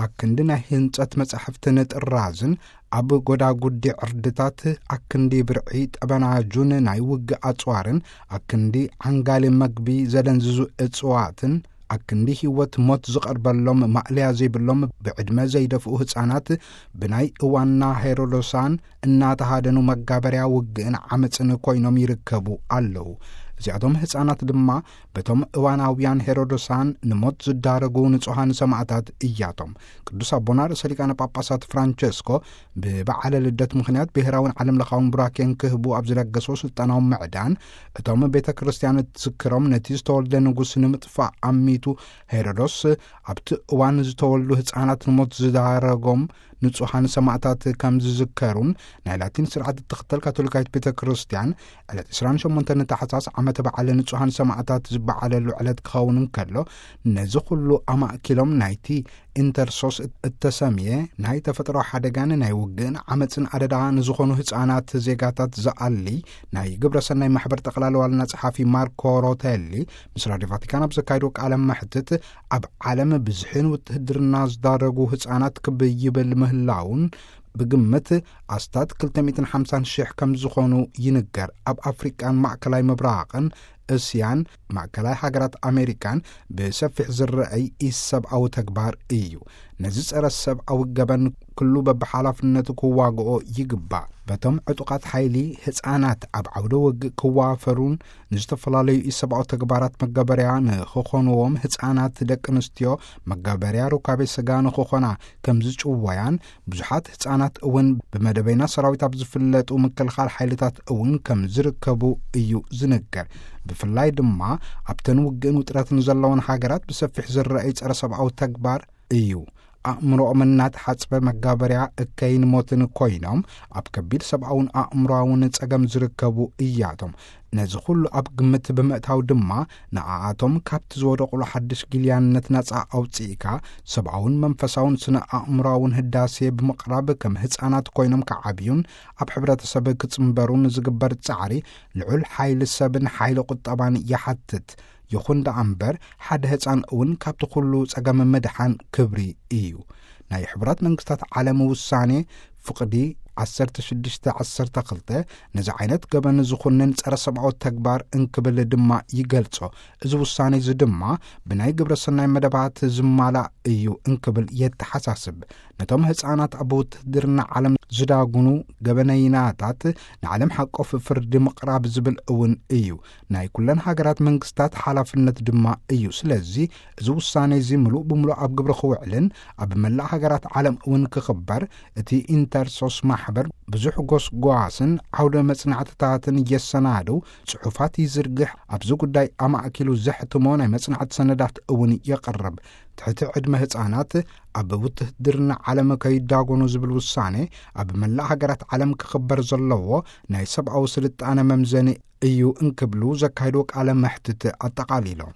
ኣክንዲ ናይ ህንጸት መጻሕፍትን ጥራዝን፣ ኣብ ጎዳጉዲ ዕርድታት ኣክንዲ ብርዒ ጠበናጁን ናይ ውግእ ኣጽዋርን፣ ኣክንዲ ዓንጋሊ መግቢ ዘደንዝዙ እጽዋትን፣ ኣክንዲ ህይወት ሞት ዝቐርበሎም ማእለያ ዘይብሎም ብዕድመ ዘይደፍኡ ህጻናት፣ ብናይ እዋንና ሄሮዶሳን እናተሃደኑ መጋበርያ ውግእን ዓመጽን ኮይኖም ይርከቡ ኣለዉ። እዚኣቶም ህጻናት ድማ በቶም እዋናውያን ሄሮዶሳን ንሞት ዝዳረጉ ንጹሃን ሰማእታት እያቶም። ቅዱስ ኣቦና ርእሰ ሊቃነ ጳጳሳት ፍራንቸስኮ ብበዓለ ልደት ምኽንያት ብሔራውን ዓለም ለኻውን ቡራኬን ክህቡ ኣብ ዝለገሶ ስልጣናዊ ምዕዳን፣ እቶም ቤተ ክርስቲያን እትዝክሮም ነቲ ዝተወልደ ንጉስ ንምጥፋእ ኣሚቱ ሄሮዶስ ኣብቲ እዋን ዝተወልዱ ህጻናት ንሞት ዝዳረጎም ንጹሃን ሰማእታት ከም ዝዝከሩን፣ ናይ ላቲን ስርዓት እትኽተል ካቶሊካዊት ቤተ ክርስቲያን ዕለት ዕስራን ሸሞንተን ታሕሳስ ዓመተ በዓል ንጹሃን ሰማእታት ዝበዓለሉ ዕለት ክኸውን እንከሎ፣ ነዚ ኩሉ ኣማእኪሎም ናይቲ ኢንተርሶስ እተሰምየ ናይ ተፈጥሮ ሓደጋን ናይ ውግእን ዓመጽን ኣደዳ ንዝኾኑ ህጻናት ዜጋታት ዝኣሊ ናይ ግብረ ሰናይ ማሕበር ጠቕላላ ዋና ጸሓፊ ማርኮ ሮቴሊ ምስ ራድዮ ቫቲካን ኣብ ዘካየዶ ቃለ መሕትት፣ ኣብ ዓለም ብዝሕን ውትህድርና ዝዳረጉ ህጻናት ክብ ይብል ምህላውን፣ ብግምት ኣስታት ክልተ ሚእትን ሓምሳን ሽሕ ከም ዝኾኑ ይንገር። ኣብ ኣፍሪቃን ማእከላይ ምብራቕን እስያን ማእከላይ ሃገራት ኣሜሪካን ብሰፊሕ ዝረአይ ኢሰብኣዊ ተግባር እዩ። ነዚ ጸረ ሰብኣዊ ገበን ኩሉ በብሓላፍነቱ ክዋግኦ ይግባእ። በቶም ዕጡቓት ሓይሊ ህጻናት ኣብ ዓውደ ውግእ ክዋፈሩን ንዝተፈላለዩ ኢሰብኣዊ ተግባራት መጋበርያ ንኽኾንዎም፣ ህጻናት ደቂ ኣንስትዮ መጋበርያ ሩካቤ ስጋ ንኽኾና ከም ዝጭወያን፣ ብዙሓት ህጻናት እውን ብመደበኛ ሰራዊት ኣብ ዝፍለጡ ምክልኻል ሓይልታት እውን ከም ዝርከቡ እዩ ዝንገር። ብፍላይ ድማ ኣብተን ውግእን ውጥረትን ዘለወን ሃገራት ብሰፊሕ ዝረአይ ጸረ ሰብኣዊ ተግባር እዩ። ኣእምሮኦም እናተሓጽበ መጋበርያ እከይን ሞትን ኮይኖም ኣብ ከቢድ ሰብኣውን ኣእምሮኣውን ጸገም ዝርከቡ እያቶም። ነዚ ኩሉ ኣብ ግምት ብምእታው ድማ ንኣኣቶም ካብቲ ዝወደቑሉ ሓድሽ ጊልያነት ናጻ ኣውጽኢካ፣ ሰብኣውን መንፈሳውን ስነ ኣእምሮኣውን ህዳሴ ብምቕራብ ከም ህጻናት ኮይኖም ክዓብዩን ኣብ ሕብረተሰብ ክጽንበሩን ዝግበር ጻዕሪ ልዑል ሓይሊ ሰብን ሓይሊ ቁጠባን ይሓትት። ይኹን ደኣ እምበር፣ ሓደ ህጻን እውን ካብቲ ኩሉ ጸገም ምድሓን ክብሪ እዩ። ናይ ሕቡራት መንግስታት ዓለም ውሳኔ ፍቕዲ ዓሰርተ ሽዱሽተ ዓሰርተ ክልተ ነዚ ዓይነት ገበን ዝኹንን ጸረ ሰብኣዊ ተግባር እንክብል ድማ ይገልጾ። እዚ ውሳኔ እዚ ድማ ብናይ ግብረ ሰናይ መደባት ዝማላእ እዩ እንክብል የተሓሳስብ። ነቶም ህጻናት ኣብ ውትህድርና ዓለም ዝዳጉኑ ገበነይናታት ንዓለም ሓቆፍ ፍርዲ ምቕራብ ዝብል እውን እዩ። ናይ ኩለን ሃገራት መንግስታት ሓላፍነት ድማ እዩ። ስለዚ እዚ ውሳኔ እዚ ምሉእ ብምሉእ ኣብ ግብሪ ክውዕልን ኣብ መላእ ሃገራት ዓለም እውን ክኽበር እቲ ኢንተርሶስ ማሕበር ብዙሕ ጎስጓስን ዓውደ መጽናዕትታትን የሰናድው፣ ጽሑፋት ይዝርግሕ፣ ኣብዚ ጉዳይ ኣማእኪሉ ዘሕትሞ ናይ መጽናዕቲ ሰነዳት እውን የቕርብ። ትሕቲ ዕድመ ህጻናት ኣብ ውትህድርና ዓለም ከይዳጎኑ ዝብል ውሳኔ ኣብ መላእ ሃገራት ዓለም ክኽበር ዘለዎ ናይ ሰብኣዊ ስልጣነ መምዘኒ እዩ እንክብሉ ዘካየድዎ ቃለ መሕትት ኣጠቓሊሎም።